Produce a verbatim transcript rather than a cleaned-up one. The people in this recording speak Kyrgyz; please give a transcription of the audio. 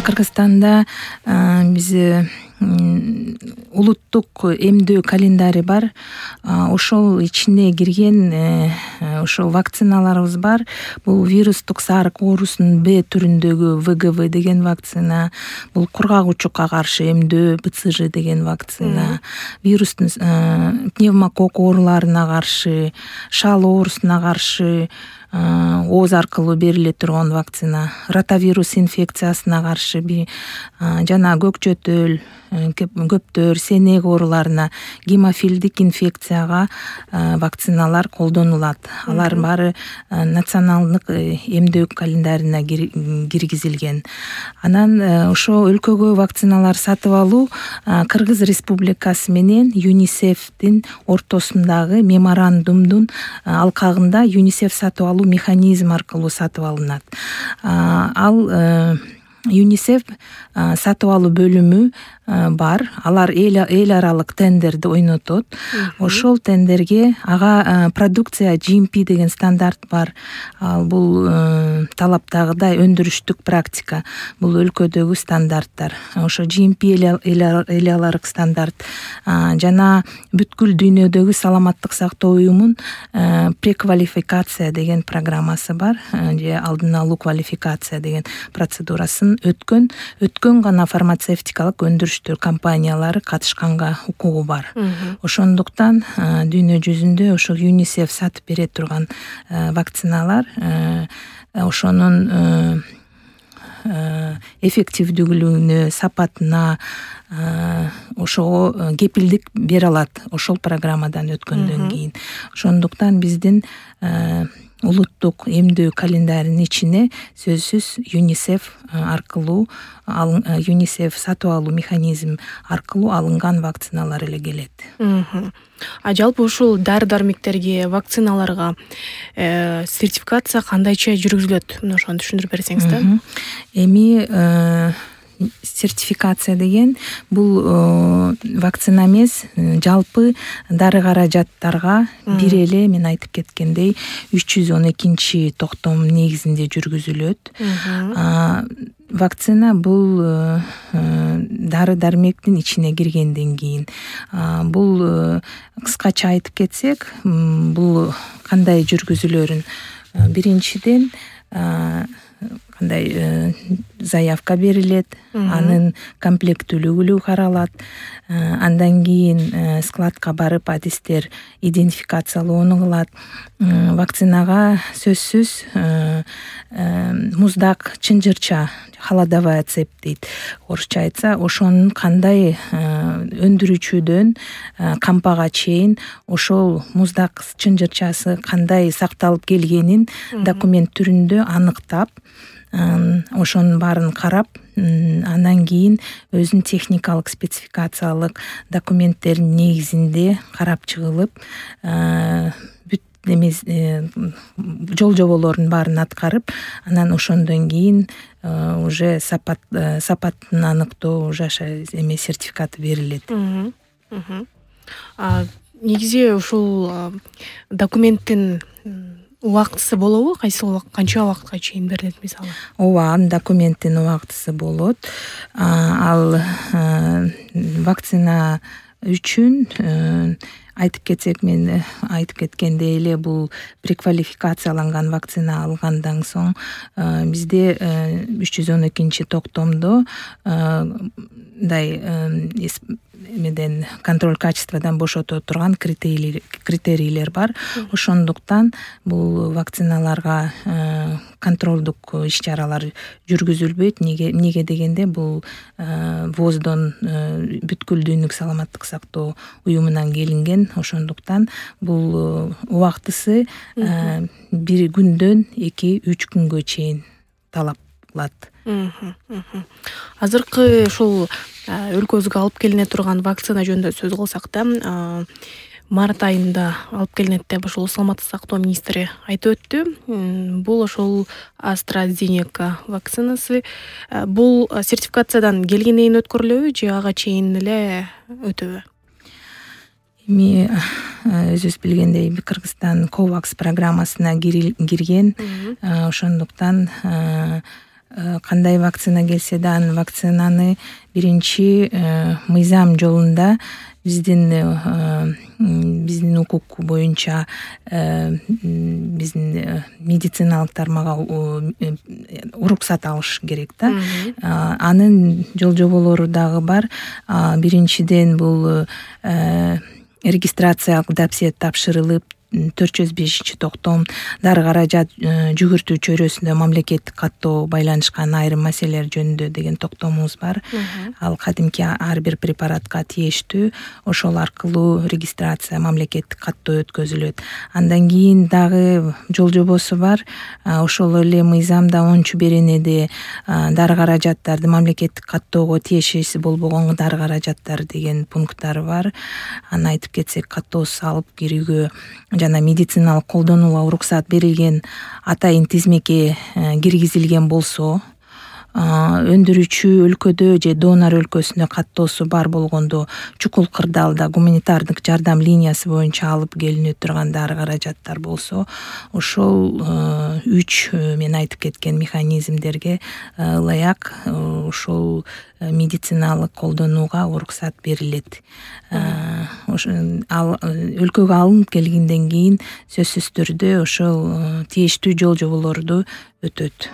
Кыргызстанда биз улуттук эмдөө календари бар. Ошол ичине кирген ошол вакциналарыбыз бар. Бул вирустук сарык оорусунун Б түрүндөгү В Г В деген вакцина, бул кургак учукка каршы эмдөө Б Ц Ж деген вакцина, вирустун пневмококк ооруларына каршы, шал оорусуна каршы ооз аркылуу бериле турган вакцина, ротавирус инфекциясына каршы жана көкчөтөл, көптөр, сенек ооруларына, гемофилдик инфекцияга вакциналар колдонулат. Алар баары националдык эмдөө календарине киргизилген. Анан ошо өлкөгө вакциналар сатып алуу Кыргыз Республикасы менен ЮНИСЕФтин ортосундагы меморандумдун алкагында ЮНИСЕФ сатып алуу механизм аркылуу сатып алынат. Ал ЮНИСЕФ сатып алуу бөлүмү бар. Алар эл аралык тендерди ойнотот. Ошол тендерге ага продукция G M P деген стандарт бар. Ал бул талаптагыдай өндүрүштүк практика. Бул өлкөдөгү стандарттар. Ошо G M P эл аралык стандарт жана бүткүл дүйнөдөгү саламаттык сактоо уюмунун преквалификация деген программасы бар. Же алдын алуу квалификация деген процедурасын өткөн өткөн гана фармацевтикалык өндүрүш компаниялары катышканга укугу бар. Ошондуктан дүйнө жүзүндө ошол ЮНИСЕФ сатып бере турган вакциналар ошонун эффективдүүлүгүнө, сапатына ошого кепилдик бере алат ошол программадан өткөндөн кийин. Ошондуктан биздин улуттук эмдөө календаринин ичине сөзсүз ЮНИСЕФ аркылуу ЮНИСЕФ сатып алуу механизм аркылуу алынган вакциналар эле келет. А жалпы ушул дары-дармектерге, вакциналарга сертификация кандайча жүргүзүлөт? Мына ошону түшүндүрүп берсеңиз да. Эми сертификация деген бул вакцина эмес, жалпы дары каражаттарга бир эле мен айтып кеткендей үч жүз он экинчи токтом негизинде жүргүзүлөт. Вакцина бул дары-дармектин ичине киргенден кийин бул кыскача айтып кетсек, бул кандай жүргүзүлөрүн биринчиден кандай заявка берилет, анын комплектүүлүгү каралат, андан кийин складка барып адистер идентификациялоону кылат. Вакцинага сөзсүз муздак чынжырча, холодовая цепь дейт орусча айтса, ошонун кандай өндүрүүчүдөн кампага чейин ошол муздак чынжырчасы кандай сакталып келгенин документ түрүндө аныктап, ошонун баарын карап, андан кийин өзүнүн техникалык спецификациялык документтеринин негизинде карап чыгылып, бүт эмес жол жоболордун баарын аткарып, анан ошондон кийин уже сапат сапатын аныктоо уже эме сертификаты берилет. Негизи ушул документтин убактысы болобу? Кайсы канча убакытка чейин берилет мисалы? Ооба, документтин убактысы болот. Ал вакцина үчүн айтып кетсек, мен айтып кеткендей эле бул преквалификацияланган вакцина алгандан соң бизде үч жүз он экинчи токтомдо мындай эмеден контроль качестводан бошото турган критерийлер бар. Ошондуктан бул вакциналарга контролдук иш-чаралар жүргүзүлбөйт. Неге дегенде бул ВОЗдон, бүткүл дүйнөлүк саламаттык сактоо уюмунан келинген. Ошондуктан бул убактысы бир күндөн эки үч күнгө чейин талап кылат. Азыркы ушул өлкөбүзгө алып келине турган вакцина жөнүндө сөз кылсак да, март айында алып келинет деп ошол саламаттык сактоо министри айтып өттү. Бул ошол AstraZeneca вакцинасы. Бул сертификациядан келгенден кийин өткөрүлөбү же ага чейин эле өтөбү? Эми өзүбүз билгендей, Кыргызстан COVAX программасына кирген. Ошондуктан кандай вакцина келсе да анын вакцинаны биринчи мыйзам жолунда биздин биздин укук боюнча биздин медициналык тармага уруксат алыш керек да. Анын жол жоболору дагы бар. Биринчиден бул регистрациялык допсия тапшырылып, төрт жүз бешинчи токтом дары каражат жүгүртүү чөйрөсүндө мамлекеттик каттоо байланышкан айрым маселелер жөнүндө деген токтомубуз бар. Ал кадимки ар бир препаратка тиештүү, ошол аркылуу регистрация, мамлекеттик каттоо өткөзүлөт. Андан кийин дагы жол жобосу бар. Ошол эле мыйзамда онунчу беренеде дары каражаттарды мамлекеттик каттоого тиешеси болбогон дары каражаттар деген пункттары бар. Аны айтып кетсек, каттоосуз алып кирүүгө жана медициналык колдонууга уруксат берилген атайын тизмеке киргизилген болсо, өндүрүүчү өлкөдө же донор өлкөсүндө каттоосу бар болгондо чукул кырдаалда гуманитардык жардам линиясы боюнча алып келине турган дары каражаттар болсо, ошол үч мен айтып кеткен механизмдерге ылайык ошол медициналык колдонууга уруксат берилет. Ал өлкөгө алынып келгенден кийин сөзсүз түрдө ошол тийиштүү жол жоболорду өтөт.